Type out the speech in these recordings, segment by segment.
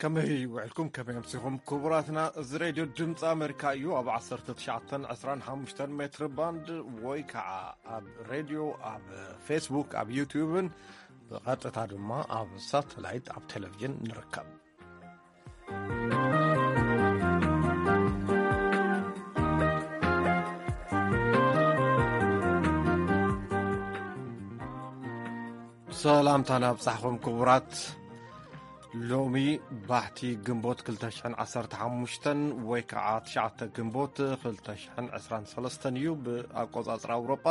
ከመይ ውዕልኩም? ከመይ ኣምሲኹም ክቡራትና? እዚ ሬድዮ ድምፂ ኣሜሪካ እዩ። ኣብ ዓሰርተ ትሽዓተ ዕስራን ሓሙሽተን ሜትር ባንድ ወይ ከዓ ኣብ ሬድዮ፣ ኣብ ፌስቡክ፣ ኣብ ዩቲዩብን ብቐጥታ ድማ ኣብ ሳተላይት፣ ኣብ ቴሌቪዥን ንርከብ። ሰላምታና ኣብጻሕኹም ክቡራት። ሎሚ ባሕቲ ግንቦት ክልተ ሽሕን ዓሰርተ ሓሙሽተን ወይ ከዓ ትሽዓተ ግንቦት ክልተ ሽሕን ዕስራን ሰለስተን እዩ ብኣቆጻጽራ ኣውሮጳ።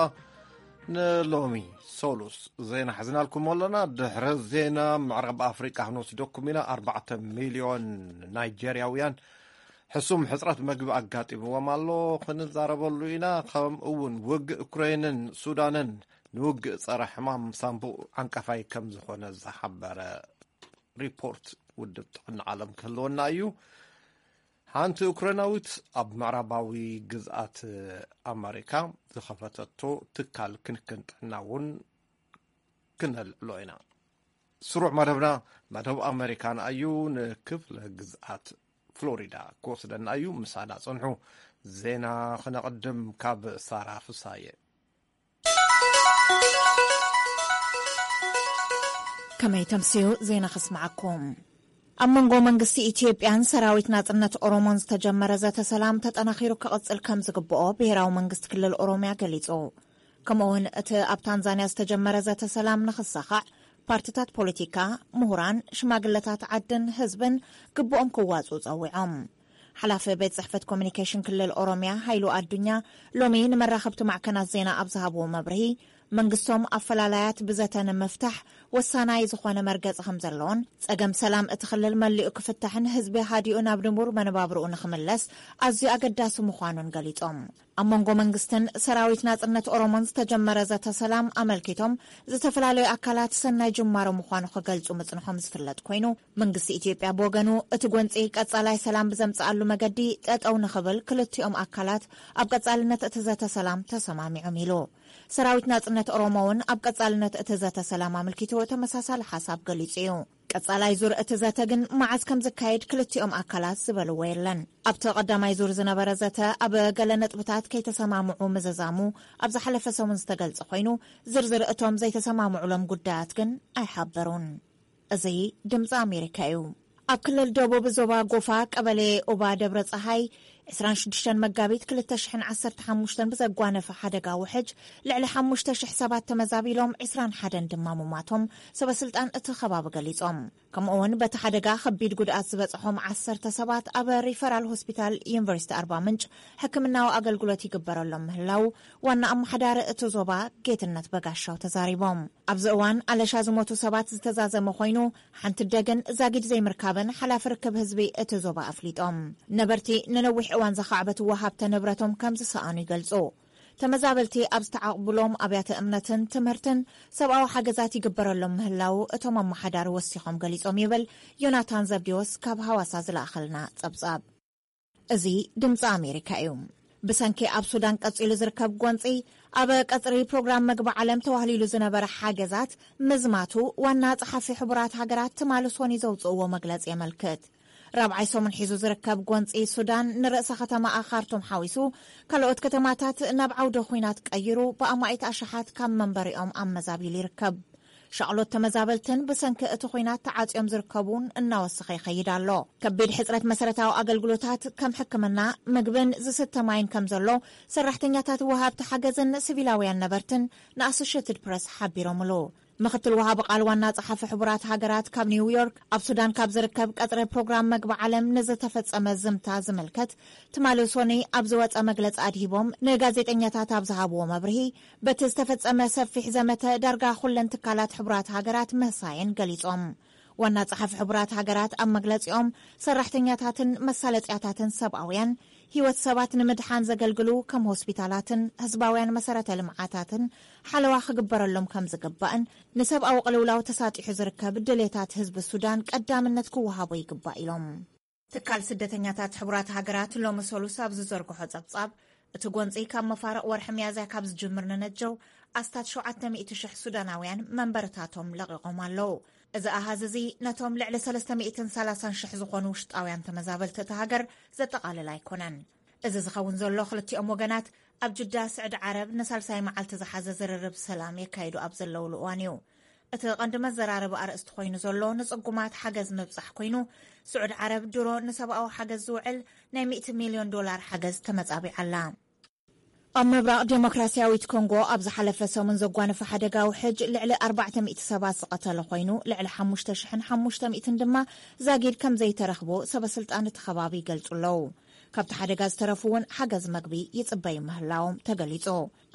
ንሎሚ ሶሉስ ዜና ሒዝናልኩም ኣለና። ድሕሪ ዜና ምዕራብ ኣፍሪቃ ክንወስደኩም ኢና። ኣርባዕተ ሚልዮን ናይጀርያውያን ሕሱም ሕጽረት መግቢ ኣጋጢምዎም ኣሎ። ክንዛረበሉ ኢና። ከምኡ እውን ውግእ ዩክሬንን ሱዳንን ንውግእ ጸረ ሕማም ሳምቡእ ዓንቀፋይ ከም ዝኾነ ዝሓበረ ሪፖርት ውድብ ጥዕና ዓለም ክህልወና እዩ። ሓንቲ ዩክሬናዊት ኣብ ምዕራባዊ ግዝኣት ኣመሪካ ዝኸፈተቶ ትካል ክንክን ጥዕና እውን ክነልዕሎ ኢና። ስሩዕ መደብና መደብ ኣመሪካና እዩ። ንክፍለ ግዝኣት ፍሎሪዳ ክወስደና እዩ። ምሳና ጽንሑ። ዜና ክነቕድም ካብ ሳራ ፍሳየ። ከመይ ተምስዩ ዜና ከስምዓኩም። ኣብ መንጎ መንግስቲ ኢትዮጵያን ሰራዊት ናጽነት ኦሮሞን ዝተጀመረ ዘተ ሰላም ተጠናኺሩ ክቕጽል ከም ዝግብኦ ብሄራዊ መንግስቲ ክልል ኦሮሚያ ገሊጹ። ከምኡውን እቲ ኣብ ታንዛንያ ዝተጀመረ ዘተ ሰላም ንኽሳኻዕ ፓርትታት ፖለቲካ፣ ምሁራን፣ ሽማግለታት ዓድን ህዝብን ግብኦም ክዋጽኡ ጸዊዖም። ሓላፊ ቤት ጽሕፈት ኮሚኒኬሽን ክልል ኦሮሚያ ሃይሉ ኣዱኛ ሎሚ ንመራኸብቲ ማዕከናት ዜና ኣብ ዝሃብዎ መብርሂ፣ መንግስቶም ኣፈላላያት ብዘተ ንምፍታሕ ወሳናይ ዝኾነ መርገጺ ከም ዘለዎን ጸገም ሰላም እቲ ክልል መሊኡ ክፍታሕን ህዝቢ ሃዲኡ ናብ ንቡር መነባብርኡ ንኽምለስ ኣዝዩ ኣገዳሲ ምዃኑን ገሊጾም። ኣብ መንጎ መንግስትን ሰራዊት ናጽነት ኦሮሞን ዝተጀመረ ዘተ ሰላም ኣመልኪቶም ዝተፈላለዩ ኣካላት ሰናይ ጅማሮ ምዃኑ ክገልጹ ምጽንሖም ዝፍለጥ ኮይኑ፣ መንግስቲ ኢትዮጵያ ብወገኑ እቲ ጎንጺ ቀጻላይ ሰላም ብዘምጽኣሉ መገዲ ጠጠው ንኽብል ክልቲኦም ኣካላት ኣብ ቀጻልነት እቲ ዘተ ሰላም ተሰማሚዖም ኢሉ። ሰራዊት ናጽነት ኦሮሞ እውን ኣብ ቀጻልነት እቲ ዘተ ሰላም ኣመልኪቱ ተመሳሳሊ ሓሳብ ገሊጹ እዩ። ቀጻላይ ዙር እቲ ዘተ ግን መዓዝ ከም ዝካየድ ክልቲኦም ኣካላት ዝበልዎ የለን። ኣብቲ ቀዳማይ ዙር ዝነበረ ዘተ ኣብ ገለ ነጥብታት ከይተሰማምዑ ምዝዛሙ ኣብ ዝሓለፈ ሰሙን ዝተገልጸ ኮይኑ፣ ዝርዝር እቶም ዘይተሰማምዑሎም ጉዳያት ግን ኣይሓበሩን። እዚ ድምፂ ኣሜሪካ እዩ። ኣብ ክልል ደቡብ ዞባ ጎፋ ቀበሌ ኡባ ደብረ ፀሃይ ዕስራን ሽዱሽተን መጋቢት ክልተ ሽሕን ዓሰርተ ሓሙሽተን ብዘጓነፈ ሓደጋ ውሕጅ ልዕሊ ሓሙሽተ ሽሕ ሰባት ተመዛቢሎም፣ ዕስራን ሓደን ድማ ሙማቶም ሰበ ስልጣን እቲ ከባቢ ገሊጾም። ከምኡ እውን በቲ ሓደጋ ከቢድ ጉድኣት ዝበጽሖም ዓሰርተ ሰባት ኣብ ሪፈራል ሆስፒታል ዩኒቨርሲቲ ኣርባ ምንጭ ሕክምናዊ ኣገልግሎት ይግበረሎም ምህላው ዋና ኣመሓዳሪ እቲ ዞባ ጌትነት በጋሻው ተዛሪቦም። ኣብዚ እዋን ኣለሻ ዝሞቱ ሰባት ዝተዛዘመ ኮይኑ፣ ሓንቲ ደግን ዛጊድ ዘይምርካብን ሓላፊ ርክብ ህዝቢ እቲ ዞባ ኣፍሊጦም። ነበርቲ ንነዊሕ እዋን ዘኻዕበትዎ ሃብተ ንብረቶም ከም ዝሰኣኑ ይገልጹ። ተመዛበልቲ ኣብ ዝተዓቕብሎም ኣብያተ እምነትን ትምህርትን ሰብኣዊ ሓገዛት ይግበረሎም ምህላው እቶም ኣመሓዳሪ ወሲኾም ገሊጾም ይብል ዮናታን ዘብዲዎስ ካብ ሃዋሳ ዝለኣኸልና ጸብጻብ። እዚ ድምፂ ኣሜሪካ እዩ። ብሰንኪ ኣብ ሱዳን ቀጺሉ ዝርከብ ጎንፂ፣ ኣብ ቀጽሪ ፕሮግራም መግቢ ዓለም ተዋህሊሉ ዝነበረ ሓገዛት ምዝማቱ ዋና ጸሓፊ ሕቡራት ሃገራት ትማሊ ሶኒ ዘውፅእዎ መግለጺ የመልክት። ራብዓይ ሰሙን ሒዙ ዝርከብ ጎንፂ ሱዳን ንርእሰ ከተማኣ ካርቱም ሓዊሱ ካልኦት ከተማታት ናብ ዓውደ ኹናት ቀይሩ ብኣማኢት ኣሽሓት ካብ መንበሪኦም ኣመዛቢሉ ይርከብ። ሻቕሎት ተመዛበልትን ብሰንኪ እቲ ኹናት ተዓጽዮም ዝርከቡን እናወሰኸ ይኸይድ ኣሎ። ከቢድ ሕጽረት መሰረታዊ ኣገልግሎታት ከም ሕክምና፣ ምግብን ዝስተ ማይን ከም ዘሎ ሰራሕተኛታት ወሃብቲ ሓገዝን ሲቪላውያን ነበርትን ንኣሶሽየትድ ፕረስ ሓቢሮምሉ። ምኽትል ወሃቢ ቃል ዋና ጸሓፊ ሕቡራት ሃገራት ካብ ኒውዮርክ ኣብ ሱዳን ካብ ዝርከብ ቀጽሪ ፕሮግራም መግቢ ዓለም ንዝተፈጸመ ዝምታ ዝምልከት ትማሊ ሶኒ ኣብ ዝወጸ መግለጺ ኣድሂቦም ንጋዜጠኛታት ኣብ ዝሃብዎ መብርሂ፣ በቲ ዝተፈጸመ ሰፊሕ ዘመተ ዳርጋ ኩለን ትካላት ሕቡራት ሃገራት ምህሳየን ገሊጾም። ዋና ጸሓፊ ሕቡራት ሃገራት ኣብ መግለጺኦም፣ ሰራሕተኛታትን መሳለጥያታትን ሰብኣውያን ህይወት ሰባት ንምድሓን ዘገልግሉ ከም ሆስፒታላትን ህዝባውያን መሰረተ ልምዓታትን ሓለዋ ክግበረሎም ከም ዝግባእን ንሰብኣዊ ቅልውላው ተሳጢሑ ዝርከብ ድሌታት ህዝቢ ሱዳን ቀዳምነት ክወሃቦ ይግባእ ኢሎም። ትካል ስደተኛታት ሕቡራት ሃገራት ሎሚ ሰሉስ ኣብ ዝዘርግሖ ጸብጻብ፣ እቲ ጎንጺ ካብ መፋርቕ ወርሒ ሚያዝያ ካብ ዝጅምር ንነጀው ኣስታት ሸውዓተ ሚእቲ ሽሕ ሱዳናውያን መንበርታቶም ለቒቖም ኣለዉ። እዚ ኣሃዝ እዚ ነቶም ልዕሊ ሰለስተ ሚእትን ሰላሳን ሽሕ ዝኾኑ ውሽጣውያን ተመዛበልቲ እታ ሃገር ዘጠቓልል ኣይኮነን። እዚ ዝኸውን ዘሎ ክልቲኦም ወገናት ኣብ ጅዳ ስዕዲ ዓረብ ንሳልሳይ መዓልቲ ዝሓዘ ዝርርብ ሰላም የካይዱ ኣብ ዘለውሉ እዋን እዩ። እቲ ቀንዲ መዘራረቢ ኣርእስቲ ኮይኑ ዘሎ ንጽጉማት ሓገዝ ምብጻሕ ኮይኑ፣ ስዑድ ዓረብ ድሮ ንሰብኣዊ ሓገዝ ዝውዕል ናይ ሚእቲ ሚልዮን ዶላር ሓገዝ ተመጻቢዓ ኣላ። ኣብ ምብራቕ ዴሞክራሲያዊት ኮንጎ ኣብ ዝሓለፈ ሰሙን ዘጓነፈ ሓደጋ ውሕጅ ልዕሊ ኣርባዕተ ሚእቲ ሰባት ዝቐተለ ኮይኑ፣ ልዕሊ ሓሙሽተ ሽሕን ሓሙሽተ ሚእትን ድማ ዛጊድ ከም ዘይተረኽቦ ሰበስልጣን እቲ ከባቢ ይገልጹ ኣለዉ። ካብቲ ሓደጋ ዝተረፉ እውን ሓገዝ መግቢ ይጽበዩ ምህላዎም ተገሊጹ።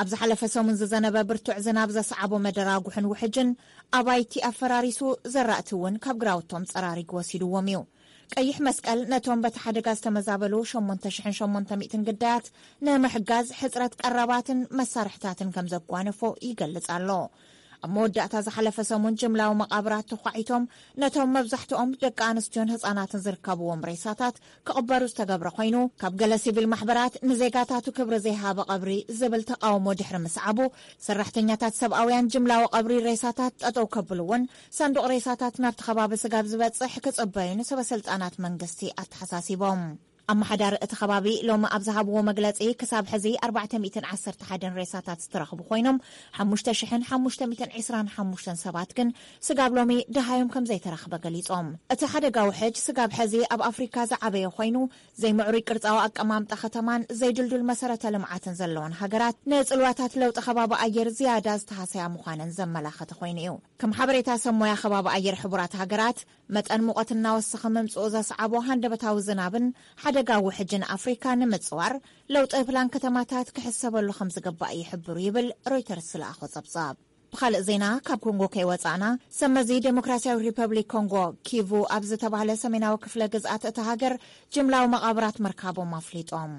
ኣብ ዝሓለፈ ሰሙን ዝዘነበ ብርቱዕ ዝናብ ዘስዓቦ መደራጉሕን ውሕጅን ኣባይቲ ኣፈራሪሱ፣ ዘራእቲ እውን ካብ ግራውቶም ጸራሪጉ ወሲድዎም እዩ። ቀይሕ መስቀል ነቶም በቲ ሓደጋ ዝተመዛበሉ ሸሞንተ ሽሕን ሸሞንተ ሚእትን ግዳያት ንምሕጋዝ ሕጽረት ቀረባትን መሳርሕታትን ከም ዘጓነፎ ይገልጽ ኣሎ። ኣብ መወዳእታ ዝሓለፈ ሰሙን ጅምላዊ መቓብራት ተዃዒቶም ነቶም መብዛሕትኦም ደቂ ኣንስትዮን ህጻናትን ዝርከብዎም ሬሳታት ክቕበሩ ዝተገብረ ኮይኑ፣ ካብ ገለ ሲቪል ማሕበራት ንዜጋታቱ ክብሪ ዘይሃበ ቀብሪ ዝብል ተቃውሞ ድሕሪ ምስዓቡ፣ ሰራሕተኛታት ሰብኣውያን ጅምላዊ ቀብሪ ሬሳታት ጠጠው ከብሉ እውን ሳንዱቕ ሬሳታት ናብቲ ከባቢ ስጋብ ዝበጽሕ ክጽበዩ ንሰበ ስልጣናት መንግስቲ ኣተሓሳሲቦም። ኣመሓዳሪ እቲ ከባቢ ሎሚ ኣብ ዝሃብዎ መግለጺ፣ ክሳብ ሕዚ ኣርባዕተ ሚእትን ዓሰርተ ሓደን ሬሳታት ዝተረኽቡ ኮይኖም፣ ሓሙሽተ ሽሕን ሓሙሽተ ሚእትን ዕስራን ሓሙሽተን ሰባት ግን ስጋብ ሎሚ ደሃዮም ከም ዘይተረኽበ ገሊጾም። እቲ ሓደጋ ውሕጅ ስጋብ ሕዚ ኣብ ኣፍሪካ ዝዓበየ ኮይኑ፣ ዘይምዕሩይ ቅርጻዊ ኣቀማምጣ ከተማን ዘይድልዱል መሰረተ ልምዓትን ዘለወን ሃገራት ንጽልዋታት ለውጢ ከባቢ ኣየር ዝያዳ ዝተሃሰያ ምዃነን ዘመላኸተ ኮይኑ እዩ። ከም ሓበሬታ ሰብ ሞያ ከባቢ ኣየር ሕቡራት ሃገራት፣ መጠን ሙቐት እናወሰኸ ምምጽኡ ዘስዓቦ ሃንደበታዊ ዝናብን ሓደጋ ውሕጅን ኣፍሪካ ንምጽዋር ለውጢ ፕላን ከተማታት ክሕሰበሉ ከም ዝግባእ ይሕብሩ ይብል ሮይተርስ ዝለኣኾ ጸብጻብ። ብኻልእ ዜና፣ ካብ ኮንጎ ከይወጻእና፣ ሰመዚ ዴሞክራሲያዊ ሪፐብሊክ ኮንጎ፣ ኪቩ ኣብ ዝተባህለ ሰሜናዊ ክፍለ ግዝኣት እታ ሃገር ጅምላዊ መቓብራት ምርካቦም ኣፍሊጦም።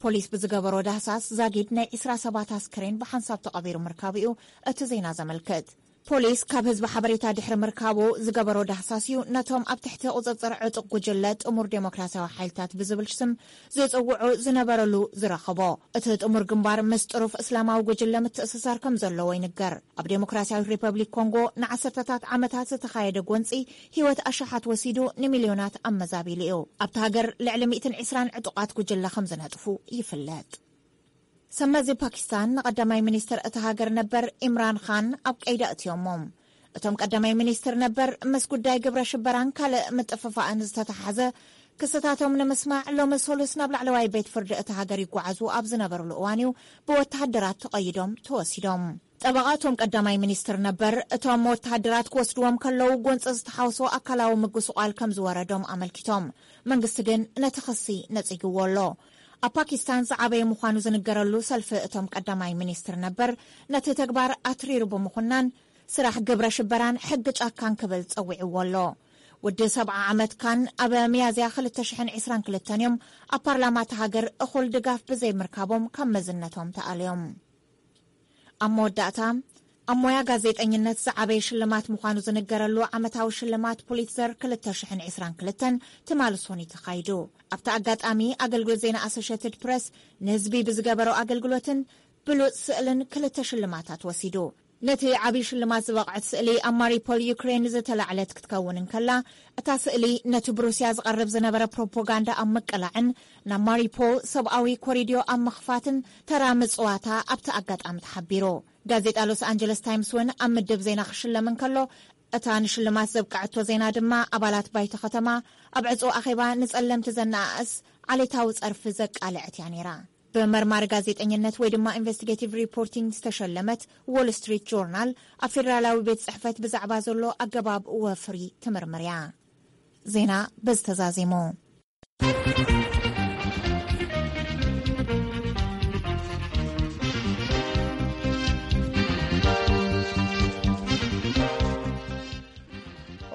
ፖሊስ ብዝገበሮ ዳህሳስ ዛጊድ ናይ ዕስራ ሰባት ኣስክሬን ብሓንሳብ ተቐቢሩ ምርካቡ እዩ እቲ ዜና ዘመልክት። ፖሊስ ካብ ህዝቢ ሓበሬታ ድሕሪ ምርካቡ ዝገበሮ ዳህሳስ እዩ ነቶም ኣብ ትሕቲ ቁጽጽር ዕጡቕ ጉጅለ ጥሙር ዴሞክራሲያዊ ሓይልታት ብዝብል ስም ዝጽውዑ ዝነበረሉ ዝረኸቦ። እቲ ጥሙር ግንባር ምስ ጥሩፍ እስላማዊ ጉጅለ ምትእስሳር ከም ዘለዎ ይንገር። ኣብ ዴሞክራሲያዊት ሪፐብሊክ ኮንጎ ንዓሰርተታት ዓመታት ዝተኻየደ ጎንጺ ህይወት ኣሽሓት ወሲዱ፣ ንሚልዮናት ኣመዛቢሉ እዩ። ኣብታ ሃገር ልዕሊ ሚእትን ዕስራን ዕጡቓት ጉጅለ ከም ዝነጥፉ ይፍለጥ። ሰመዚ ፓኪስታን ንቐዳማይ ሚኒስትር እታ ሃገር ነበር ኢምራን ኻን ኣብ ቀይዲ ኣእትዮሞም። እቶም ቀዳማይ ሚኒስትር ነበር ምስ ጉዳይ ግብረ ሽበራን ካልእ ምጥፍፋእን ዝተተሓሓዘ ክስታቶም ንምስማዕ ሎሚ ሰሉስ ናብ ላዕለዋይ ቤት ፍርዲ እታ ሃገር ይጓዓዙ ኣብ ዝነበሩሉ እዋን እዩ ብወተሃደራት ተቐይዶም ተወሲዶም። ጠበቓ እቶም ቀዳማይ ሚኒስትር ነበር፣ እቶም ወተሃደራት ክወስድዎም ከለዉ ጎንፂ ዝተሓወሶ ኣካላዊ ምጉስቋል ከም ዝወረዶም ኣመልኪቶም። መንግስቲ ግን ነቲ ክሲ ነጺግዎ ኣሎ። ኣብ ፓኪስታን ዝዓበየ ምዃኑ ዝንገረሉ ሰልፊ እቶም ቀዳማይ ሚኒስትር ነበር ነቲ ተግባር ኣትሪሩ ብምኹናን፣ ስራሕ ግብረ ሽበራን ሕጊ ጫካን ክብል ጸዊዕዎ ኣሎ። ወዲ ሰብዓ ዓመት ካን ኣብ ሚያዝያ ክልተ ሽሕን ዕስራን ክልተን እዮም ኣብ ፓርላማ እታ ሃገር እኹል ድጋፍ ብዘይምርካቦም ካብ መዝነቶም ተኣልዮም። ኣብ መወዳእታ፣ ኣብ ሞያ ጋዜጠኝነት ዝዓበየ ሽልማት ምዃኑ ዝንገረሉ ዓመታዊ ሽልማት ፑሊትዘር ክልተ ሽሕን ዕስራን ክልተን ትማሊ ሰኑይ ተኻይዱ። ኣብቲ ኣጋጣሚ፣ ኣገልግሎት ዜና ኣሶሼትድ ፕረስ ንህዝቢ ብዝገበሮ ኣገልግሎትን ብሉጽ ስእልን ክልተ ሽልማታት ወሲዱ። ነቲ ዓብዪ ሽልማት ዝበቕዐት ስእሊ ኣብ ማሪፖል ዩክሬን ዝተላዕለት ክትከውን እንከላ፣ እታ ስእሊ ነቲ ብሩስያ ዝቐርብ ዝነበረ ፕሮፓጋንዳ ኣብ ምቅላዕን ናብ ማሪፖል ሰብኣዊ ኮሪድዮ ኣብ ምኽፋትን ተራ ምጽዋታ ኣብቲ ኣጋጣሚ ተሓቢሩ። ጋዜጣ ሎስ ኣንጀለስ ታይምስ እውን ኣብ ምድብ ዜና ክሽለም እንከሎ፣ እታ ንሽልማት ዘብቅዐቶ ዜና ድማ ኣባላት ባይቶ ከተማ ኣብ ዕጹው ኣኼባ ንጸለምቲ ዘነኣእስ ዓሌታዊ ጸርፊ ዘቃልዐት እያ ነይራ። ብመርማሪ ጋዜጠኝነት ወይ ድማ ኢንቨስቲጌቲቭ ሪፖርቲንግ ዝተሸለመት ዎል ስትሪት ጆርናል ኣብ ፌደራላዊ ቤት ጽሕፈት ብዛዕባ ዘሎ ኣገባብ ወፍሪ ትምርምር እያ። ዜና በዚ ተዛዚሙ።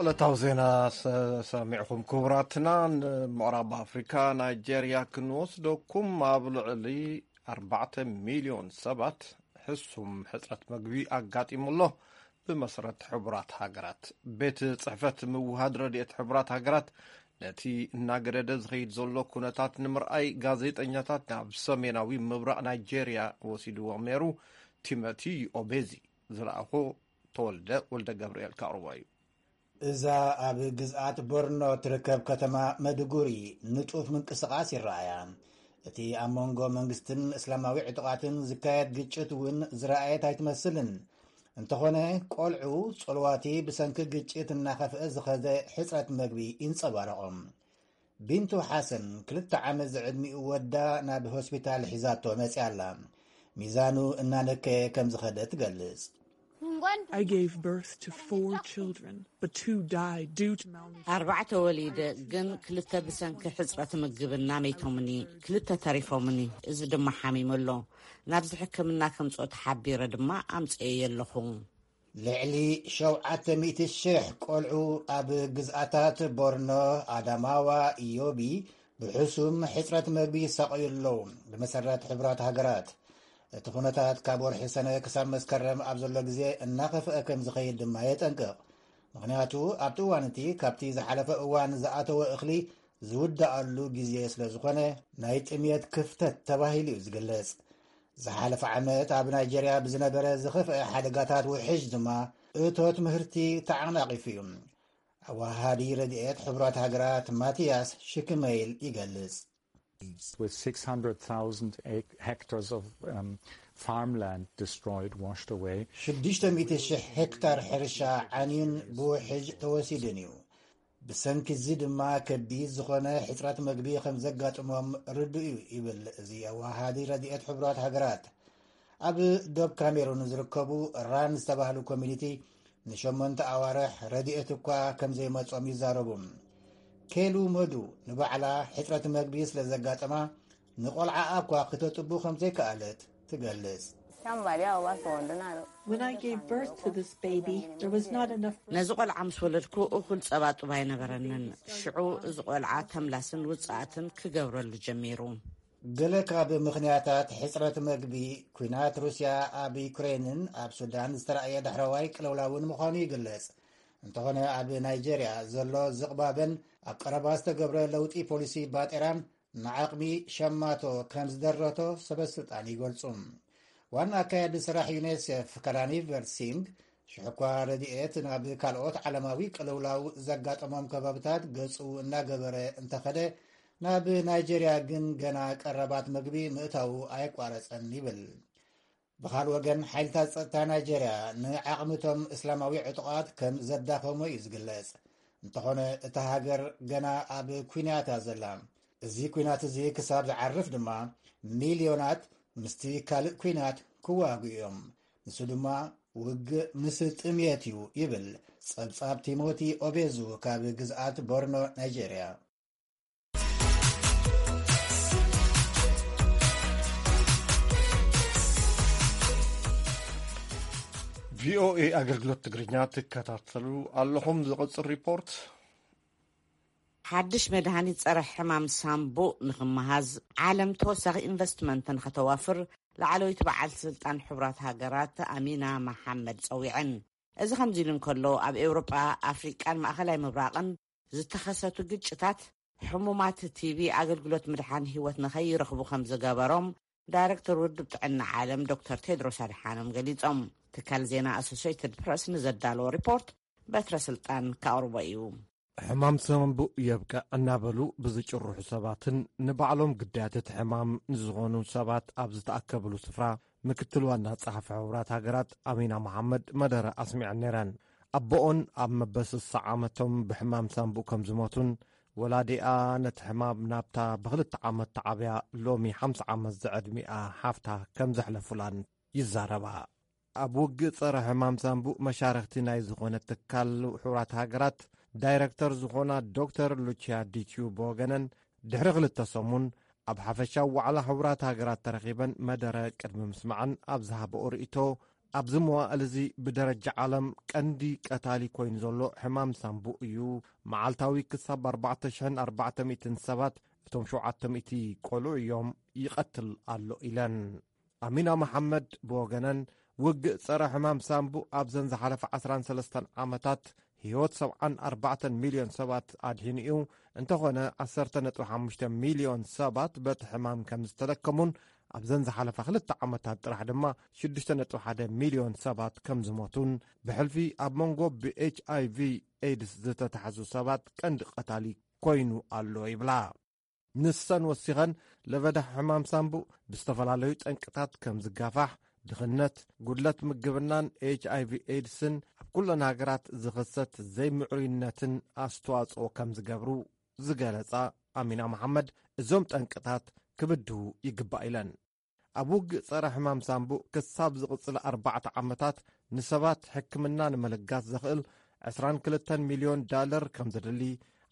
ዕለታዊ ዜና ሰ-፣ ሰሚዕኹም ክቡራትና። ንምዕራብ ኣፍሪካ ናይጄርያ ክንወስደኩም፣ ኣብ ልዕሊ ኣርባዕተ ሚልዮን ሰባት ሕሱም ሕፅረት መግቢ ኣጋጢሙ ኣሎ። ብመሰረት ሕቡራት ሃገራት፣ ቤት ጽሕፈት ምውሃድ ረድኤት ሕቡራት ሃገራት ነቲ እናገደደ ዝኸይድ ዘሎ ኩነታት ንምርኣይ ጋዜጠኛታት ናብ ሰሜናዊ ምብራቕ ናይጄርያ ወሲድዎም ነይሩ። ቲሞቲ ኦቤዚ ዝለኣኾ ተወልደ ወልደ ገብርኤል ከቕርቦ እዩ። እዛ ኣብ ግዝኣት ቦርኖ ትርከብ ከተማ መድጉሪ ንጡፍ ምንቅስቓስ ይረኣያ። እቲ ኣብ መንጎ መንግስትን እስላማዊ ዕጡቓትን ዝካየድ ግጭት እውን ዝረኣየት ኣይትመስልን። እንተኾነ፣ ቆልዑ ጸልዋቲ ብሰንኪ ግጭት እናኸፍአ ዝኸደ ሕጽረት መግቢ ይንጸባረቖም። ቢንቱ ሓሰን ክልተ ዓመት ዝዕድሚኡ ወዳ ናብ ሆስፒታል ሒዛቶ መጽያ ኣላ። ሚዛኑ እናነከየ ከም ዝኸደ ትገልጽ። I gave birth to four children, but two died due to malnutrition. ኣርባዕተ ወሊደ፣ ግን ክልተ ብሰንኪ ሕጽረት ምግብና መይቶምኒ፣ ክልተ ተሪፎምኒ፣ እዚ ድማ ሓሚሙ ኣሎ። ናብዚ ሕክምና ከምጽኦ ተሓቢረ ድማ ኣምጽኤ ኣለኹ። ልዕሊ ሸውዓተ ሚእቲ ሽሕ ቆልዑ ኣብ ግዝኣታት ቦርኖ፣ ኣዳማዋ፣ ኢዮቢ ብሕሱም ሕጽረት መግቢ ይሳቐዩ ኣለዉ። ብመሰረት ሕቡራት ሃገራት፣ እቲ ኩነታት ካብ ወርሒ ሰነ ክሳብ መስከረም ኣብ ዘሎ ግዜ እናኸፍአ ከም ዝኸይድ ድማ የጠንቅቕ። ምኽንያቱ፣ ኣብቲ እዋን እቲ ካብቲ ዝሓለፈ እዋን ዝኣተወ እኽሊ ዝውዳኣሉ ግዜ ስለ ዝኾነ፣ ናይ ጥምየት ክፍተት ተባሂሉ እዩ ዝግለጽ። ዝሓለፈ ዓመት ኣብ ናይጀርያ ብዝነበረ ዝኸፍአ ሓደጋታት ውሕጅ ድማ እቶት ምህርቲ ተዓናቒፉ እዩ። ኣወሃሃዲ ረድኤት ሕቡራት ሃገራት ማቲያስ ሽክመይል ይገልጽ። With six hundred thousand ac- hectares of um, farmland destroyed, washed away. ሽዱሽተ ሚእቲ ሽሕ ሄክታር ሕርሻ ዓንዩን ብውሕጅ ተወሲዱን እዩ። ብሰንኪ እዚ ድማ ከቢድ ዝኾነ ሕጽረት መግቢ ከም ዘጋጥሞም ርዱእ እዩ ይብል እዚ ኣወሃሃዲ ረድኤት ሕቡራት ሃገራት። ኣብ ዶብ ካሜሩን ዝርከቡ ራን ዝተባህሉ ኮሚኒቲ ንሸሞንተ ኣዋርሕ ረድኤት እኳ ከም ዘይመጾም ይዛረቡ። ኬሉ መዱ ንባዕላ ሕጽረት መግቢ ስለ ዘጋጠማ ንቆልዓኣ እኳ ክተጥቡ ከም ዘይከኣለት ትገልጽ። Somebody else was on the night. When I gave birth to this baby, there was not enough. ነዚ ቆልዓ ምስ ወለድኩ እኹል ጸባ ጡብ ኣይነበረንን። ሽዑ እዚ ቆልዓ ተምላስን ውጽኣትን ክገብረሉ ጀሚሩ። ገለ ካብ ምኽንያታት ሕጽረት መግቢ፣ ኲናት ሩስያ ኣብ ዩክሬንን ኣብ ሱዳን ዝተራእየ ዳሕረዋይ ቅልውላውን ምዃኑ ይግለጽ። እንተኾነ፣ ኣብ ናይጀርያ ዘሎ ዝቕባበን ኣብ ቀረባ ዝተገብረ ለውጢ ፖሊሲ ባጤራን ንዓቕሚ ሸማቶ ከም ዝደረቶ ሰበስልጣን ይገልጹ። ዋና ኣካያዲ ስራሕ ዩኔሴፍ ካራኒቨር ሲንግ፣ ሽሕኳ ረድኤት ናብ ካልኦት ዓለማዊ ቅልውላው ዘጋጠሞም ከባብታት ገጹ እናገበረ እንተኸደ፣ ናብ ናይጀርያ ግን ገና ቀረባት መግቢ ምእታዉ ኣየቋረጸን ይብል። ብኻልእ ወገን፣ ሓይልታት ጸጥታ ናይጀርያ ንዓቕምቶም እስላማዊ ዕጡቓት ከም ዘዳኸሞ እዩ ዝግለጽ። እንተኾነ፣ እታ ሃገር ገና ኣብ ኲናት እያ ዘላ። እዚ ኲናት እዚ ክሳብ ዝዓርፍ ድማ፣ ሚልዮናት ምስቲ ካልእ ኲናት ክዋግኡ እዮም። ንሱ ድማ ውግእ ምስ ጥምየት እዩ ይብል ጸብጻብ ቲሞቲ ኦቤዙ ካብ ግዝኣት ቦርኖ ናይጀርያ። ቪኦኤ ኣገልግሎት ትግርኛ ትከታተሉ ኣለኹም። ዝቕጽል ሪፖርት። ሓድሽ መድሃኒት ጸረ ሕማም ሳምቡእ ንኽመሃዝ ዓለም ተወሳኺ ኢንቨስትመንት ንኸተዋፍር ላዕለወይቲ በዓል ስልጣን ሕቡራት ሃገራት ኣሚና መሓመድ ጸዊዐን። እዚ ከምዚ ኢሉ እንከሎ፣ ኣብ ኤውሮጳ፣ ኣፍሪቃን ማእኸላይ ምብራቕን ዝተኸሰቱ ግጭታት ሕሙማት ቲቢ ኣገልግሎት ምድሓን ህይወት ንኸይረኽቡ ከም ዝገበሮም ዳይረክተር ውድብ ጥዕና ዓለም ዶክተር ቴድሮስ ኣድሓኖም ገሊጾም። ትካል ዜና ኣሶሴይትድ ፕረስ ንዘዳለዎ ሪፖርት በትረ ስልጣን ከቕርቦ እዩ። ሕማም ሳምቡእ የብቅዕ እናበሉ ብዝጭርሑ ሰባትን ንባዕሎም ግዳያት እቲ ሕማም ንዝኾኑ ሰባት ኣብ ዝተኣከብሉ ስፍራ ምክትል ዋና ጸሓፊ ሕቡራት ሃገራት ኣሚና መሓመድ መደረ ኣስሚዐን ነይረን። ኣቦኦን ኣብ መበስሳ ዓመቶም ብሕማም ሳምቡእ ከም ዝሞቱን ወላዲኣ ነቲ ሕማም ናብታ ብኽልተ ዓመት ተዓብያ ሎሚ ሓምሳ ዓመት ዝዕድሚኣ ሓፍታ ከም ዘሕለፉላን ይዛረባ። ኣብ ውግእ ጸረ ሕማም ሳምቡእ መሻርኽቲ ናይ ዝኾነ ትካል ሕቡራት ሃገራት ዳይረክተር ዝኾና ዶክተር ሉቺያ ዲቹ ብወገነን ድሕሪ ክልተ ሰሙን ኣብ ሓፈሻዊ ዋዕላ ሕቡራት ሃገራት ተረኺበን መደረ ቅድሚ ምስማዕን ኣብ ዝሃበኦ ርእይቶ ኣብዚ መዋእል እዚ ብደረጃ ዓለም ቀንዲ ቀታሊ ኮይኑ ዘሎ ሕማም ሳምቡእ እዩ። መዓልታዊ ክሳብ ኣርባዕተ ሽሕን ኣርባዕተ ሚእትን ሰባት እቶም ሸውዓተ ሚእቲ ቆልዑ እዮም ይቐትል ኣሎ ኢለን። ኣሚና መሓመድ ብወገነን ውግእ ጸረ ሕማም ሳምቡእ ኣብዘን ዝሓለፈ ዓስራን ሰለስተን ዓመታት ህይወት ሰብዓን ኣርባዕተን ሚልዮን ሰባት ኣድሒኑ እዩ። እንተኾነ ዓሰርተ ነጥቢ ሓሙሽተ ሚልዮን ሰባት በቲ ሕማም ከም ዝተለከሙን ኣብዘን ዝሓለፋ ክልተ ዓመታት ጥራሕ ድማ ሽዱሽተ ነጥቢ ሓደ ሚልዮን ሰባት ከም ዝሞቱን፣ ብሕልፊ ኣብ መንጎ ብ ኤች ኣይ ቪ ኤድስ ዝተታሕዙ ሰባት ቀንዲ ቀታሊ ኮይኑ ኣሎ ይብላ። ንሰን ወሲኸን፣ ለበዳ ሕማም ሳምቡእ ብዝተፈላለዩ ጠንቅታት ከም ዝጋፋሕ፣ ድኽነት፣ ጉድለት ምግብናን ኤች ኣይ ቪ ኤድስን ኣብ ኩለን ሃገራት ዝኽሰት ዘይምዕሩይነትን ኣስተዋጽኦ ከም ዝገብሩ ዝገለጻ ኣሚና መሓመድ፣ እዞም ጠንቅታት ክብድሁ ይግባእ ኢለን። ኣብ ውግእ ጸረ ሕማም ሳምቡእ ክሳብ ዝቕጽል ኣርባዕተ ዓመታት ንሰባት ሕክምና ንምልጋስ ዘኽእል ዕስራን ክልተን ሚልዮን ዳለር ከም ዘድሊ፣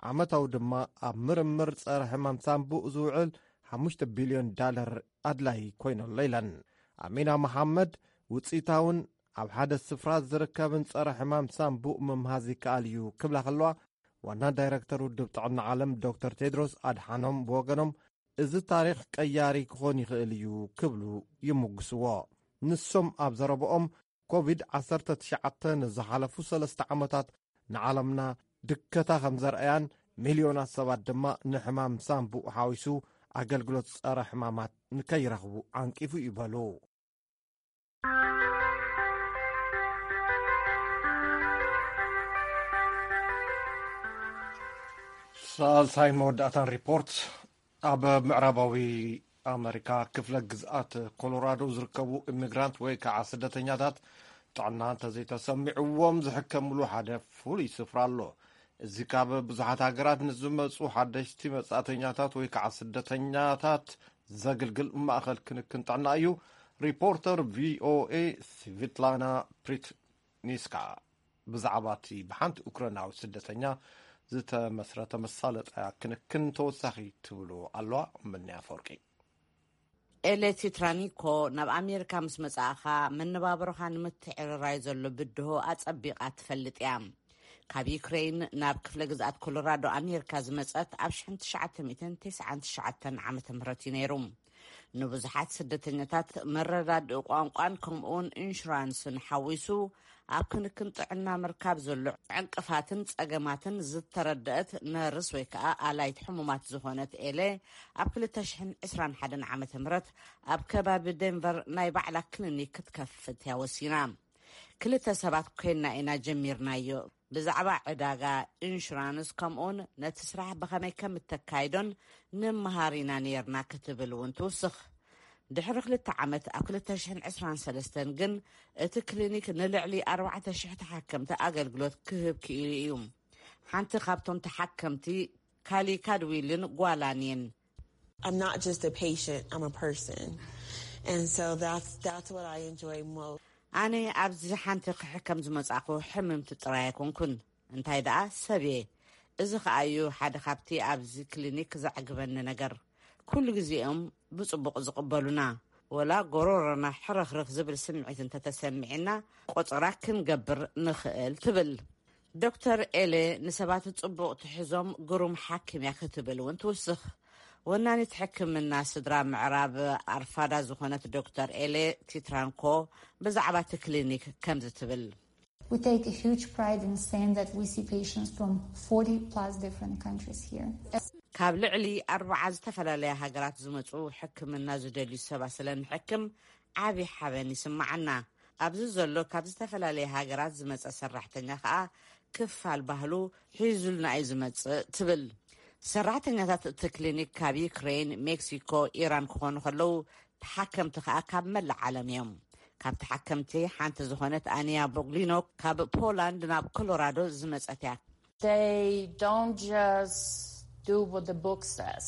ዓመታዊ ድማ ኣብ ምርምር ጸረ ሕማም ሳምቡእ ዝውዕል ሓሙሽተ ቢልዮን ዳለር ኣድላይ ኮይነሎ ኢለን። ኣሚና መሓመድ፣ ውጽኢታውን ኣብ ሓደ ስፍራ ዝርከብን ጸረ ሕማም ሳምቡእ ምምሃዝ ይከኣል እዩ ክብላ ከለዋ፣ ዋና ዳይረክተር ውድብ ጥዕና ዓለም ዶክተር ቴድሮስ ኣድሓኖም ብወገኖም፣ እዚ ታሪኽ ቀያሪ ክኾን ይኽእል እዩ ክብሉ ይምጉስዎ። ንሶም ኣብ ዘረብኦም፣ ኮቪድ ዓሰርተ ትሽዓተ ንዝሓለፉ ሰለስተ ዓመታት ንዓለምና ድከታ ከም ዘርኣያን፣ ሚልዮናት ሰባት ድማ ንሕማም ሳምቡእ ሓዊሱ ኣገልግሎት ጸረ ሕማማት ንከይረኽቡ ዓንቂፉ ይበሉ። ሳልሳይ መወዳእታን ሪፖርት። ኣብ ምዕራባዊ ኣመሪካ ክፍለ ግዝኣት ኮሎራዶ ዝርከቡ ኢሚግራንት ወይ ከዓ ስደተኛታት ጥዕና እንተዘይተሰሚዕዎም ዝሕከምሉ ሓደ ፍሉይ ስፍራ ኣሎ። እዚ ካብ ብዙሓት ሃገራት ንዝመፁ ሓደሽቲ መጻእተኛታት ወይ ከዓ ስደተኛታት ዘግልግል ማእኸል ክንክን ጥዕና እዩ። ሪፖርተር ቪ ኦ ኤ ስቪትላና ፕሪትኒስካ ብዛዕባ እቲ ብሓንቲ ኡክራናዊ ስደተኛ ዝተመስረተ መሳለጠያ ክንክን ተወሳኺ ትብሉ ኣለዋ። ምንያ ኣፈወርቂ። ኤሌ ቲትራኒኮ ናብ ኣሜሪካ ምስ መጻእኻ፣ መነባብሮኻ ንምትዕርራይ ዘሎ ብድሆ ኣጸቢቓ ትፈልጥ እያ። ካብ ዩክሬን ናብ ክፍለ ግዝኣት ኮሎራዶ ኣሜሪካ ዝመጸት ኣብ ሽሕን ትሽዓተ ሚእትን ተስዓን ትሽዓተን ዓመተ ምህረት እዩ ነይሩ። ንብዙሓት ስደተኛታት መረዳድኢ ቋንቋን ከምኡውን ኢንሹራንስን ሓዊሱ ኣብ ክንክን ጥዕና ምርካብ ዘሎ ዕንቅፋትን ጸገማትን ዝተረደአት ነርስ ወይ ከኣ ኣላይት ሕሙማት ዝኾነት ኤሌ፣ ኣብ ክልተ ሽሕን ዕስራን ሓደን ዓመተ ምህረት ኣብ ከባቢ ዴንቨር ናይ ባዕላ ክሊኒክ ክትከፍት እያ ወሲና። ክልተ ሰባት ኮይና ኢና ጀሚርናዮ። ብዛዕባ ዕዳጋ፣ ኢንሹራንስ፣ ከምኡውን ነቲ ስራሕ ብኸመይ ከም እተካይዶን ንምሃር ኢና ነይርና ክትብል እውን ትውስኽ። ድሕሪ ክልተ ዓመት ኣብ ክልተ ሽሕን ዕስራን ሰለስተን ግን እቲ ክሊኒክ ንልዕሊ ኣርባዕተ ሽሕ ተሓከምቲ ኣገልግሎት ክህብ ክኢሉ እዩ። ሓንቲ ካብቶም ተሓከምቲ ካሊ ካድዊልን ጓላን እየን። I'm not just a patient, I'm a person. And so that's that's what I enjoy most. ኣነ ኣብዚ ሓንቲ ክሕከም ዝመጻእኩ ሕምምቲ ጥራይ ኣይኮንኩን፣ እንታይ ደኣ ሰብ እየ። እዚ ከኣ እዩ ሓደ ካብቲ ኣብዚ ክሊኒክ ዘዕግበኒ ነገር። ኩሉ ግዜ እዮም ብጽቡቕ ዝቕበሉና። ወላ ጎሮሮና ሕርኽርኽ ዝብል ስምዒት እንተተሰሚዕና ቆጸራ ክንገብር ንኽእል ትብል። ዶክተር ኤሌ ንሰባት ጽቡቕ ትሕዞም ግሩም ሓኪም እያ ክትብል እውን ትውስኽ። ወናኒት ሕክምና ስድራ ምዕራብ ኣርፋዳ ዝኾነት ዶክተር ኤሌ ቲትራንኮ ብዛዕባ እቲ ክሊኒክ ከምዚ ትብል። We take a huge pride in saying that we see patients from forty plus different countries here. ካብ ልዕሊ ኣርብዓ ዝተፈላለያ ሃገራት ዝመጹ ሕክምና ዝደልዩ ሰባት ስለ ንሕክም ዓቢ ሓበን ይስምዓና። ኣብዚ ዘሎ ካብ ዝተፈላለየ ሃገራት ዝመጸ ሰራሕተኛ ከኣ ክፋል ባህሉ ሒዙልና እዩ ዝመጽእ ትብል። ሰራሕተኛታት እቲ ክሊኒክ ካብ ዩክሬን፣ ሜክሲኮ፣ ኢራን ክኾኑ ከለዉ ተሓከምቲ ከኣ ካብ መላእ ዓለም እዮም። ካብ ተሓከምቲ ሓንቲ ዝኾነት ኣኒያ ቦግሊኖ ካብ ፖላንድ ናብ ኮሎራዶ ዝመጸት እያ። They don't just do what the book says.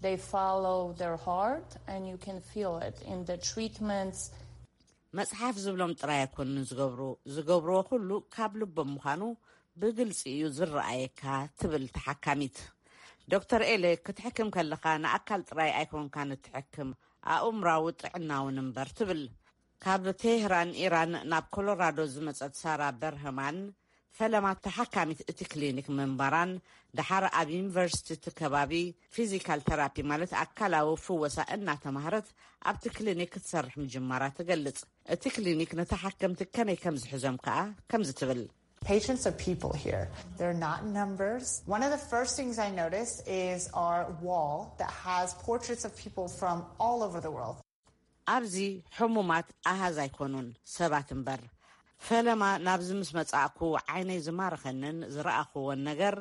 They follow their heart and you can feel it in the treatments. መጽሓፍ ዝብሎም ጥራይ ኣይኮኑን ዝገብሩ፣ ዝገብርዎ ኩሉ ካብ ልቦም ምዃኑ ብግልጺ እዩ ዝረኣየካ ትብል ተሓካሚት። ዶክተር ኤሌ ክትሕክም ከለኻ ንኣካል ጥራይ ኣይኮንካን እትሕክም፣ ኣእምራዊ ጥዕና እውን እምበር ትብል። ካብ ቴህራን ኢራን ናብ ኮሎራዶ ዝመጸት ሳራ በርህማን ፈለማ ተሓካሚት እቲ ክሊኒክ ምንባራን ደሓር ኣብ ዩኒቨርሲቲ እቲ ከባቢ ፊዚካል ተራፒ ማለት ኣካላዊ ፍወሳ እናተማህረት ኣብቲ ክሊኒክ ክትሰርሕ ምጅማራ ትገልጽ። እቲ ክሊኒክ ንተሓከምቲ ከመይ ከም ዝሕዞም ከኣ ከምዚ ትብል። Patients are people here. They're not numbers. One of the first things I noticed is our wall that has portraits of people from all over the world. ኣብዚ ሕሙማት ኣሃዝ ኣይኮኑን፣ ሰባት እምበር። ፈለማ ናብዚ ምስ መጻእኩ ዓይነይ ዝማረኸንን ዝረኣኽዎን ነገር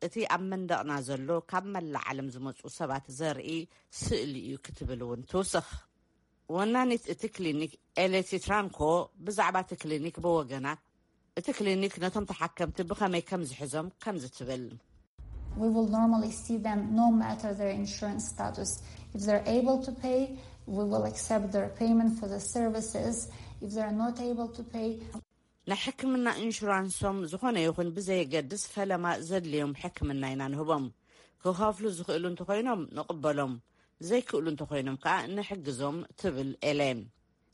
እቲ ኣብ መንደቕና ዘሎ ካብ መላእ ዓለም ዝመጹ ሰባት ዘርኢ ስእሊ እዩ ክትብል እውን ትውስኽ። ወናኒት እቲ ክሊኒክ ኤሌቲ ትራንኮ ብዛዕባ እቲ ክሊኒክ ብወገና እቲ ክሊኒክ ነቶም ተሓከምቲ ብኸመይ ከም ዝሕዞም ከምዚ ትብል። We will normally see them no matter their insurance status. If they're able to pay, we will accept their payment for the services. If they're not able to pay, ናይ ሕክምና ኢንሹራንሶም ዝኾነ ይኹን ብዘየገድስ ፈለማ ዘድልዮም ሕክምና ኢና ንህቦም። ክኸፍሉ ዝኽእሉ እንተኾይኖም ንቕበሎም፣ ዘይክእሉ እንተኾይኖም ከዓ ንሕግዞም ትብል ኤሌን።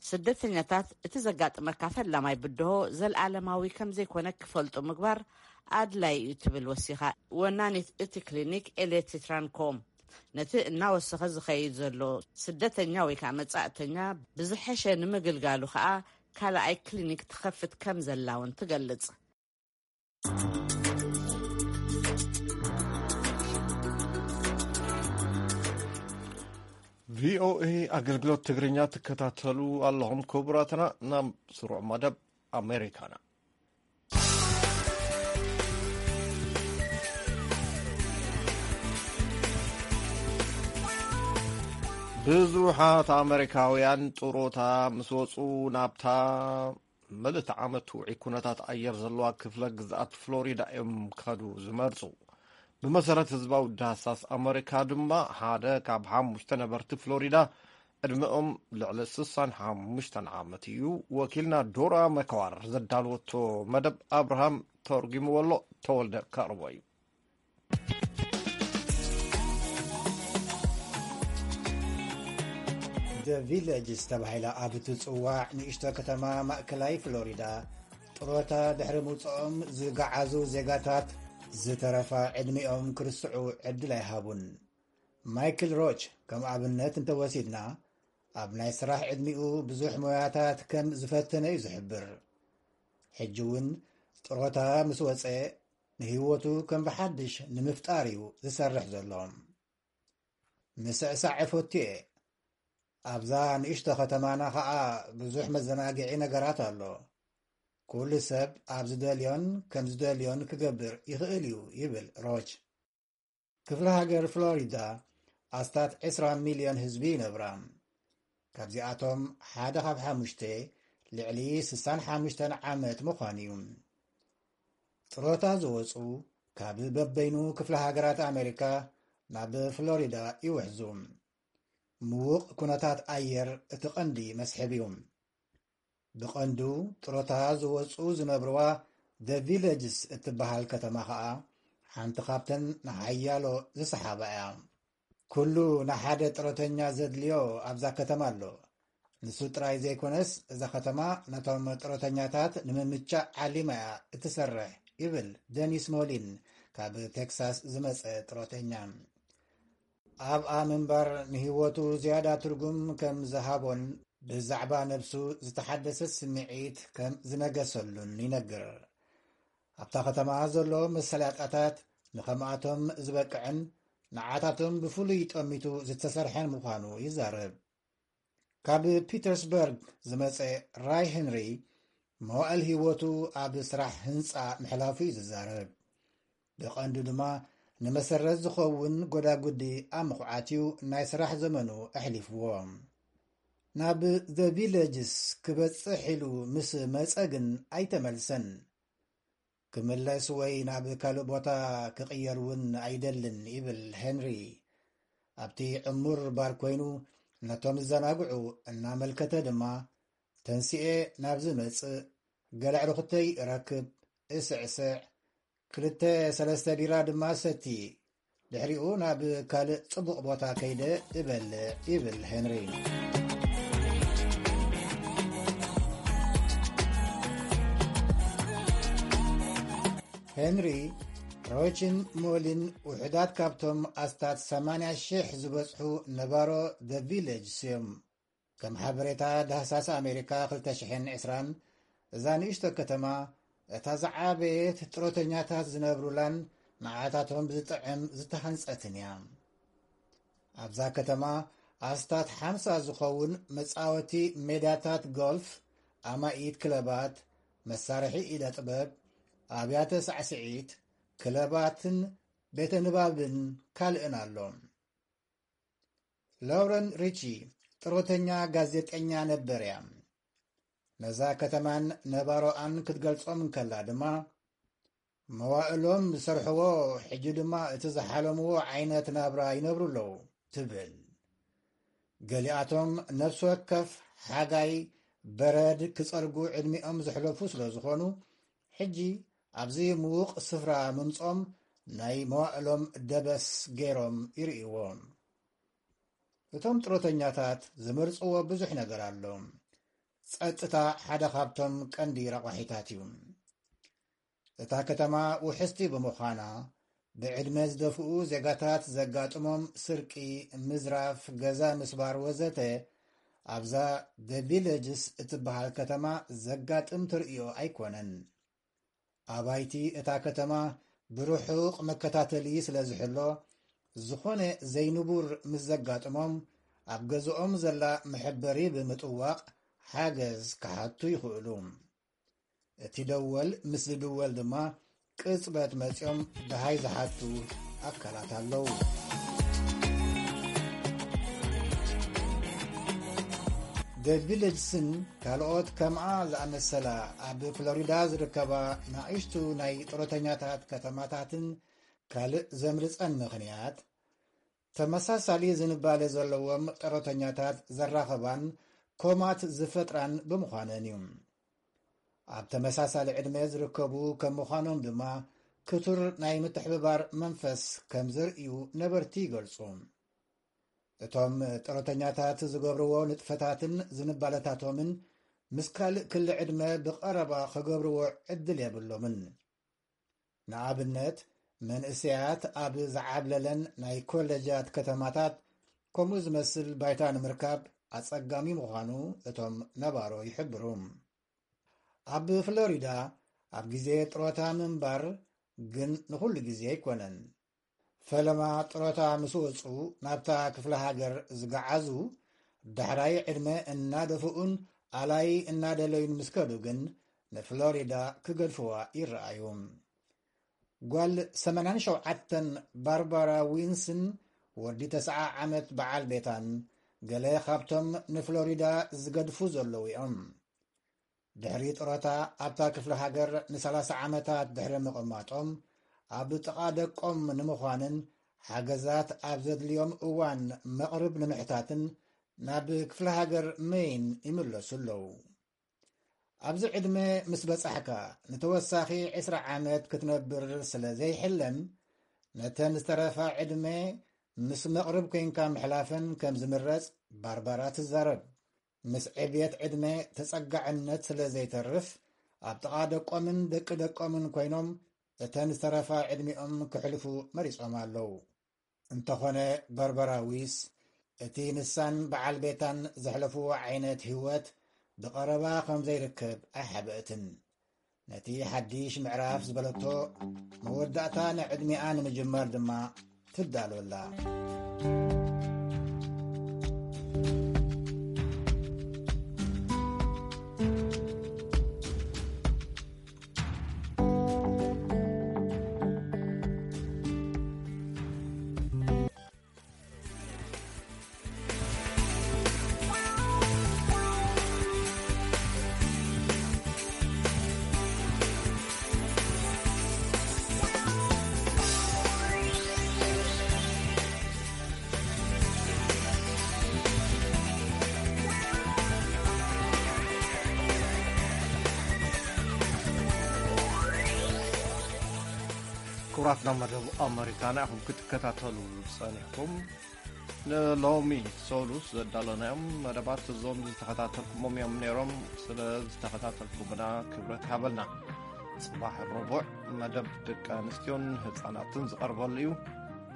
ስደተኛታት እቲ ዘጋጥመካ ፈላማይ ብድሆ ዘልኣለማዊ ከም ዘይኮነ ክፈልጡ ምግባር ኣድላይ እዩ ትብል ወሲኻ ወናኒት እቲ ክሊኒክ ኤሌቲ ትራንኮ። ነቲ እናወሰኸ ዝኸይድ ዘሎ ስደተኛ ወይ ከዓ መጻእተኛ ብዝሐሸ ንምግልጋሉ ከዓ ካልኣይ ክሊኒክ ትኸፍት ከም ዘላ እውን ትገልጽ። ቪኦኤ ኣገልግሎት ትግርኛ ትከታተሉ ኣለኹም ክቡራትና። ናብ ስሩዕ መደብ ኣሜሪካና። ብዙሓት ኣመሪካውያን ጥሮታ ምስ ወፁ ናብታ ምልእቲ ዓመት ውዑይ ኩነታት ኣየር ዘለዋ ክፍለ ግዝኣት ፍሎሪዳ እዮም ክኸዱ ዝመርፁ። ብመሰረት ህዝባዊ ዳህሳስ ኣመሪካ ድማ ሓደ ካብ ሓሙሽተ ነበርቲ ፍሎሪዳ ዕድመኦም ልዕሊ ስሳን ሓሙሽተን ዓመት እዩ። ወኪልና ዶራ መከዋር ዘዳልወቶ መደብ ኣብርሃም ተርጉምዎ ኣሎ፣ ተወልደ ከቕርቦ እዩ። The Villages ተባሂላ ኣብ እትጽዋዕ ንእሽቶ ከተማ ማእከላይ ፍሎሪዳ ጥሮታ ድሕሪ ምውጽኦም ዝገዓዙ ዜጋታት ዝተረፋ ዕድሚኦም ክርስዑ ዕድል ኣይሃቡን። ማይክል ሮች ከም ኣብነት እንተወሲድና ኣብ ናይ ስራሕ ዕድሚኡ ብዙሕ ሞያታት ከም ዝፈተነ እዩ ዝሕብር። ሕጂ እውን ጥሮታ ምስ ወጸ ንህይወቱ ከም ብሓድሽ ንምፍጣር እዩ ዝሰርሕ ዘሎ። ምስዕሳዕ እፈቱ እየ። ኣብዛ ንእሽቶ ከተማና ኸኣ ብዙሕ መዘናግዒ ነገራት ኣሎ። ኩሉ ሰብ ኣብ ዝደልዮን ከም ዝደልዮን ክገብር ይኽእል እዩ ይብል ሮች። ክፍለ ሃገር ፍሎሪዳ ኣስታት ዕስራ ሚልዮን ህዝቢ ይነብራ። ካብዚኣቶም ሓደ ካብ ሓሙሽተ ልዕሊ ስሳን ሓሙሽተን ዓመት ምዃኑ እዩ። ጥሮታ ዝወፁ ካብ በበይኑ ክፍለ ሃገራት ኣሜሪካ ናብ ፍሎሪዳ ይውሕዙ። ምዉቕ ኩነታት ኣየር እቲ ቀንዲ መስሕብ እዩ። ብቐንዱ ጥሮታ ዝወፁ ዝነብርዋ The Villages እትበሃል ከተማ ኸኣ ሓንቲ ካብተን ንሓያሎ ዝሰሓባ እያ። ኩሉ ንሓደ ጥሮተኛ ዘድልዮ ኣብዛ ከተማ ኣሎ። ንሱ ጥራይ ዘይኮነስ እዛ ከተማ ነቶም ጥሮተኛታት ንምምቻእ ዓሊማ እያ እትሰርሕ ይብል ደኒስ ሞሊን ካብ ቴክሳስ ዝመጸ ጥሮተኛ። ኣብኣ ምንባር ንህይወቱ ዝያዳ ትርጉም ከም ዝሃቦን ብዛዕባ ነብሱ ዝተሓደሰ ስምዒት ከም ዝነገሰሉን ይነግር። ኣብታ ከተማ ዘሎ መሳለጥያታት ንኸምኣቶም ዝበቅዕን ንዓታቶም ብፍሉይ ጠሚቱ ዝተሰርሐን ምዃኑ ይዛረብ። ካብ ፒተርስበርግ ዝመጸ ራይ ሄንሪ መዋእል ህይወቱ ኣብ ስራሕ ህንጻ ምሕላፉ እዩ ዝዛረብ። ብቐንዱ ድማ ንመሰረት ዝኸውን ጎዳጉዲ ኣብ ምኹዓት እዩ ናይ ስራሕ ዘመኑ ኣሕሊፍዎ። ናብ The Villages ክበጽሕ ኢሉ ምስ መጸ ግን ኣይተመልሰን። ክምለስ ወይ ናብ ካልእ ቦታ ክቕየር እውን ኣይደልን ይብል ሄንሪ። ኣብቲ ዕሙር ባር ኮይኑ ነቶም ዝዘናግዑ እናመልከተ ድማ ተንሲኤ ናብዚ መጽእ፣ ገለ ኣዕሩኽተይ እረክብ፣ እስዕስዕ፣ ክልተ ሰለስተ ቢራ ድማ ሰቲ፣ ድሕሪኡ ናብ ካልእ ጽቡቕ ቦታ ከይደ እበልዕ ይብል ሄንሪ። ሄንሪ ሮችን ሞሊን ውሑዳት ካብቶም ኣስታት ሰማንያ ሽሕ ዝበጽሑ ነባሮ The Villages እዮም። ከም ሓበሬታ ዳህሳስ ኣሜሪካ ክልተ ሽሕን ዕስራን እዛ ንእሽቶ ከተማ እታ ዝዓበየት ጥሮተኛታት ዝነብሩላን ንዓታቶም ዝጥዕም ዝተሃንጸትን እያ። ኣብዛ ከተማ ኣስታት ሓምሳ ዝኸውን መጻወቲ ሜዳታት ጎልፍ፣ ኣማኢት ክለባት፣ መሳርሒ ኢደ ጥበብ፣ ኣብያተ ሳዕስዒት፣ ክለባትን ቤተ ንባብን ካልእን ኣሎ። ላውረን ሪቺ ጥሮተኛ ጋዜጠኛ ነበር እያ። ነዛ ከተማን ነባሮኣን ክትገልጾም እንከላ ድማ፣ መዋእሎም ዝሰርሕዎ፣ ሕጂ ድማ እቲ ዝሓለምዎ ዓይነት ናብራ ይነብሩ ኣለዉ ትብል። ገሊኣቶም ነፍሲ ወከፍ ሓጋይ በረድ ክጸርጉ ዕድሚኦም ዘሕለፉ ስለ ዝኾኑ፣ ሕጂ ኣብዚ ምዉቕ ስፍራ ምምጾም ናይ መዋእሎም ደበስ ገይሮም ይርእይዎ። እቶም ጥሮተኛታት ዝመርጽዎ ብዙሕ ነገር ኣሎ። ጸጥታ ሓደ ካብቶም ቀንዲ ረቋሒታት እዩ። እታ ከተማ ውሕስቲ ብምዃና፣ ብዕድመ ዝደፍኡ ዜጋታት ዘጋጥሞም ስርቂ፣ ምዝራፍ፣ ገዛ ምስባር ወዘተ ኣብዛ The Villages እትበሃል ከተማ ዘጋጥም ተርእዮ ኣይኮነን። ኣባይቲ እታ ከተማ ብርሑቕ መከታተሊ ስለ ዝሕሎ፣ ዝኾነ ዘይንቡር ምስ ዘጋጥሞም፣ ኣብ ገዝኦም ዘላ መሐበሪ ብምጥዋቕ ሓገዝ ክሓቱ ይኽእሉ። እቲ ደወል ምስ ዝድወል ድማ፣ ቅጽበት መጺኦም ደሃይ ዝሓቱ ኣካላት ኣለዉ። The Villages-ን ካልኦት ከምኣ ዝኣመሰላ ኣብ ፍሎሪዳ ዝርከባ ንኣሽቱ ናይ ጥሮተኛታት ከተማታትን ካልእ ዘምርጸን ምኽንያት፣ ተመሳሳሊ ዝንባለ ዘለዎም ጥሮተኛታት ዘራኸባን ኮማት ዝፈጥራን ብምዃነን እዩ። ኣብ ተመሳሳሊ ዕድመ ዝርከቡ ከም ምዃኖም ድማ፣ ክቱር ናይ ምትሕብባር መንፈስ ከም ዘርእዩ ነበርቲ ይገልጹ። እቶም ጥሮተኛታት ዝገብርዎ ንጥፈታትን ዝንባለታቶምን ምስ ካልእ ክሊ ዕድመ ብቐረባ ክገብርዎ ዕድል የብሎምን። ንኣብነት፣ መንእሰያት ኣብ ዝዓብለለን ናይ ኮለጃት ከተማታት ከምኡ ዝመስል ባይታ ንምርካብ ኣጸጋሚ ምዃኑ እቶም ነባሮ ይሕብሩ። ኣብ ፍሎሪዳ ኣብ ግዜ ጥሮታ ምንባር ግን ንኹሉ ግዜ ኣይኮነን። ፈለማ ጥሮታ ምስ ወጹ ናብታ ክፍለ ሃገር ዝገዓዙ፣ ዳሕራይ ዕድመ እናደፍኡን ኣላይ እናደለዩን ምስ ከዱ ግን ንፍሎሪዳ ክገድፍዋ ይረኣዩ። ጓል ሰማንያን ሸውዓተን ባርባራ ዊንስን ወዲ ተስዓ ዓመት በዓል ቤታን ገለ ካብቶም ንፍሎሪዳ ዝገድፉ ዘለዉ እዮም። ድሕሪ ጥሮታ ኣብታ ክፍለ ሃገር ንሰላሳ ዓመታት ድሕሪ ምቕማጦም፣ ኣብ ጥቓ ደቆም ንምዃንን ሓገዛት ኣብ ዘድልዮም እዋን መቕርብ ንምሕታትን ናብ ክፍለ ሃገር ሜይን ይምለሱ ኣለዉ። ኣብዚ ዕድመ ምስ በጻሕካ፣ ንተወሳኺ ዕስራ ዓመት ክትነብር ስለ ዘይሕለም፣ ነተን ዝተረፋ ዕድመ ምስ መቕርብ ኮይንካ ምሕላፈን ከም ዝምረጽ ባርባራ ትዛረብ። ምስ ዕብየት ዕድመ ተጸጋዕነት ስለ ዘይተርፍ፣ ኣብ ጥቓ ደቆምን ደቂ ደቆምን ኮይኖም እተን ዝተረፋ ዕድሚኦም ክሕልፉ መሪጾም ኣለዉ። እንተኾነ፣ በርበራ ዊስ፣ እቲ ንሳን በዓል ቤታን ዘሕለፍዎ ዓይነት ህይወት ብቐረባ ከም ዘይርከብ ኣይሓበአትን። ነቲ ሓድሽ ምዕራፍ ዝበለቶ መወዳእታ ንዕድሚኣ ንምጅማር ድማ ትዳሎ ኣላ። ክቡራትና፣ መደብ ኣመሪካና ኢኹም ክትከታተሉ ጸኒሕኩም። ንሎሚ ሰሉስ ዘዳለናዮም መደባት እዞም ዝተኸታተልኩሞም እዮም ነይሮም። ስለ ዝተኸታተልኩምና ክብረት ሃበልና። ጽባሕ ረቡዕ መደብ ደቂ ኣንስትዮን ህጻናትን ዝቐርበሉ እዩ።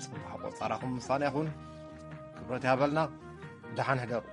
ጽባሕ ቆጻራኹም ምሳና ይኹን። ክብረት ይሃበልና። ደሓን ሕደሩ።